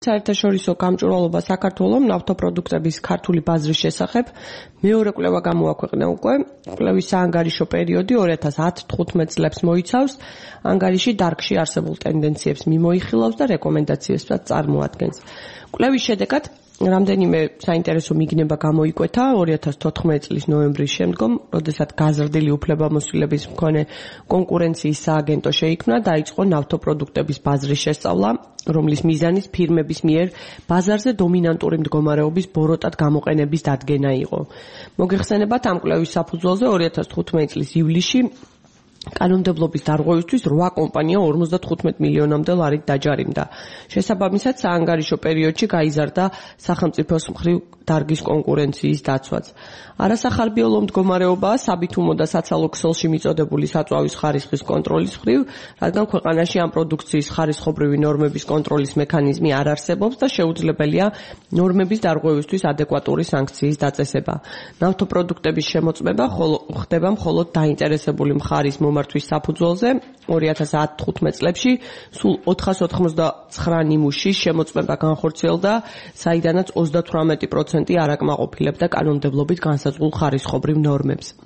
საერთაშორისო გამჭვირვალობა საქართველოს ნავთობპროდუქტების ქართული ბაზრის შესახებ მეორე კვლევა გამოაქვეყნა უკვე. კვლევის საანგარიშო პერიოდი 2010-15 წლებს მოიცავს. ანგარიში დარგში არსებულ ტენდენციებს მიმოიხილავს და რეკომენდაციებსაც წარმოადგენს. კვლევის შედეგად რამდენიმე საინტერესო მიგნება გამოიკვეთა 2014 წლის ნოემბრის შემდგომ, როდესაც გაზრდილი უფლებამოსილების მქონე კონკურენციის სააგენტო შეიქმნა, დაიწყო ნავთობპროდუქტების ბაზრის შესწავლა, რომლის მიზანიც ფირმების მიერ ბაზარზე დომინანტური მდგომარეობის ბოროტად გამოყენების დადგენა იყო. მოგეხსენებათ, ამ კვლევის საფუძველზე 2015 წლის ივლისში კანონმდებლობის დარღვევისთვის 8 კომპანია 55 მილიონამდე ლარით დაჯარიმდა. შესაბამისად, საანგარიშო პერიოდში გაიზარდა სახელმწიფოს მხრივ დარგის კონკურენციის დაცვაც. არასახარბიელო მდგომარეობაა საბითუმო და საცალო ქსელში მიწოდებული საწვავის ხარისხის კონტროლის მხრივ, რადგან ქვეყანაში ამ პროდუქციის ხარისხობრივი ნორმების კონტროლის მექანიზმი არ არსებობს და შეუძლებელია ნორმების დარღვევისთვის ადეკვატური სანქციის დაწესება. ნავთობპროდუქტების შემოწმება ხდება მხოლოდ დაინტერესებული მხარის მომართვის საფუძველზე. 2010-15 წლებში სულ 499 ნიმუშის შემოწმება განხორციელდა, საიდანაც 38% არ აკმაყოფილებდა კანონმდებლობით განსაზღვრულ ხარისხობრივ ნორმებს.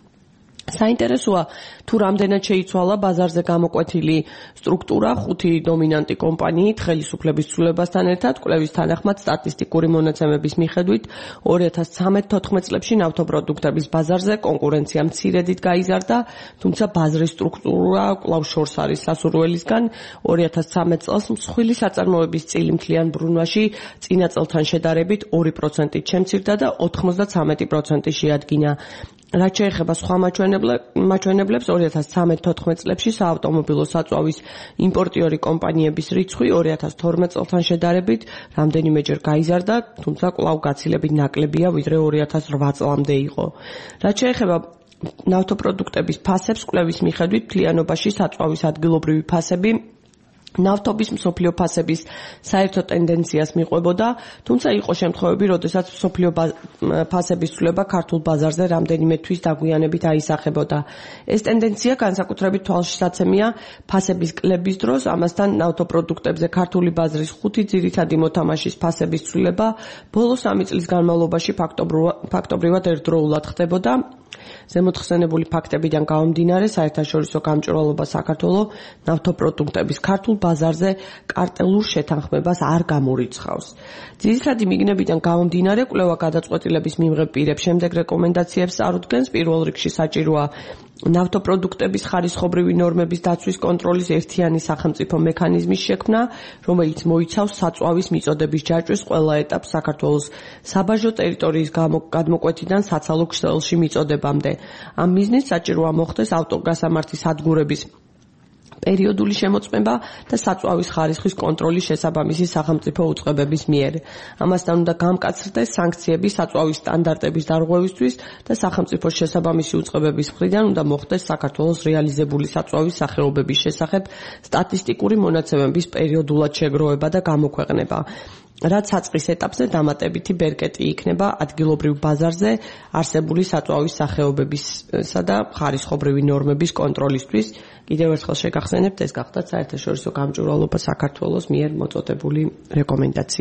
საინტერესოა თუ რამდენად შეიცვალა ბაზარზე გამოკვეთილი სტრუქტურა 5 დომინანტი კომპანიით ხელისუფლების ცვლილებასთან ერთად. კვლევის თანახმად სტატისტიკური მონაცემების მიხედვით 2013-14 წლებში ნავთობპროდუქტების ბაზარზე კონკურენცია მცირედით გაიზარდა, თუმცა ბაზრის სტრუქტურა კვლავ შორს არის სასურველისგან. 2013 წელს მსხვილი საწარმოების წილი მთლიან ბრუნვაში წინა წელთან შედარებით 2%-ით შემცირდა და 93% შეადგინა. რაც შეეხება სხვა მაჩვენებლებს, 2013-14 წლებში საავტომობილო საწვავის იმპორტიორი კომპანიების რიცხვი 2012 წელთან შედარებით რამდენიმეჯერ გაიზარდა, თუმცა კვლავ გაცილებით ნაკლებია, ვიდრე 2008 წლამდე იყო. რაც შეეხება ნავთობპროდუქტების ფასებს, კვლევის მიხედვით მთლიანობაში საწვავის ადგილობრივი ფასები ნავთობის მსოფლიო ფასების საერთო ტენდენციას მიყვებოდა, თუმცა იყო შემთხვევები, როდესაც მსოფლიო ფასების ცვლილება ქართულ ბაზარზე რამდენიმე თვის დაგვიანებით აისახებოდა. ეს ტენდენცია განსაკუთრებით თვალშისაცემია ფასების კლების დროს, ამასთან ნავთობპროდუქტებზე ქართული ბაზრის 5 ძირითადი მოთამაშის ფასების ცვლილება ბოლო 3 წლის განმავლობაში ფაქტობრივად ერთდროულად ხდებოდა. ზემოთხსენებული ფაქტებიდან გამომდინარე, საერთაშორისო გამჭვირვალობა საქართველოს ნავთობპროდუქტების ქართულ ბაზარზე კარტელურ შეთანხმებას არ გამორიცხავს. ძირითადი მიგნებიდან გამომდინარე, კვლევა გადაწყვეტილების მიმღებ პირებს შემდეგ რეკომენდაციებს წარუდგენს. პირველ რიგში საჭიროა ნავთობპროდუქტების ხარისხობრივი ნორმების დაცვის კონტროლის ერთიანი სახელმწიფო მექანიზმის შექმნა, რომელიც მოიცავს საწვავის მიწოდების ჯაჭვის ყველა ეტაპს საქართველოს საბაჟო ტერიტორიის გადმოკვეთიდან საცალო ქსელში მიწოდებამდე. ამ მიზნით საჭიროა მოხდეს ავტოგასამართის სადგურების პერიოდული შემოწმება და საწვავის ხარისხის კონტროლის შესაბამისი სახელმწიფო უწყებების მიერ. ამასთან უნდა გამკაცრდეს სანქციები საწვავის სტანდარტების დარღვევისთვის და სახელმწიფოს შესაბამისი უწყებების მხრიდან უნდა მოხდეს საქართველოს რეალიზებული საწვავის სახეობების შესახებ სტატისტიკური მონაცემების პერიოდულად შეგროვება და გამოქვეყნება. რაც საწყის ეტაპზე დამატებითი ბერკეტი იქნება ადგილობრივ ბაზარზე არსებული საწვავის სახეობებისა და ხარისხობრივი ნორმების კონტროლისთვის. კიდევ ერთხელ შეგახსენებთ, ეს გახდათ საერთაშორისო გამჭვირვალობა საქართველოს მიერ მოწოდებული რეკომენდაციები.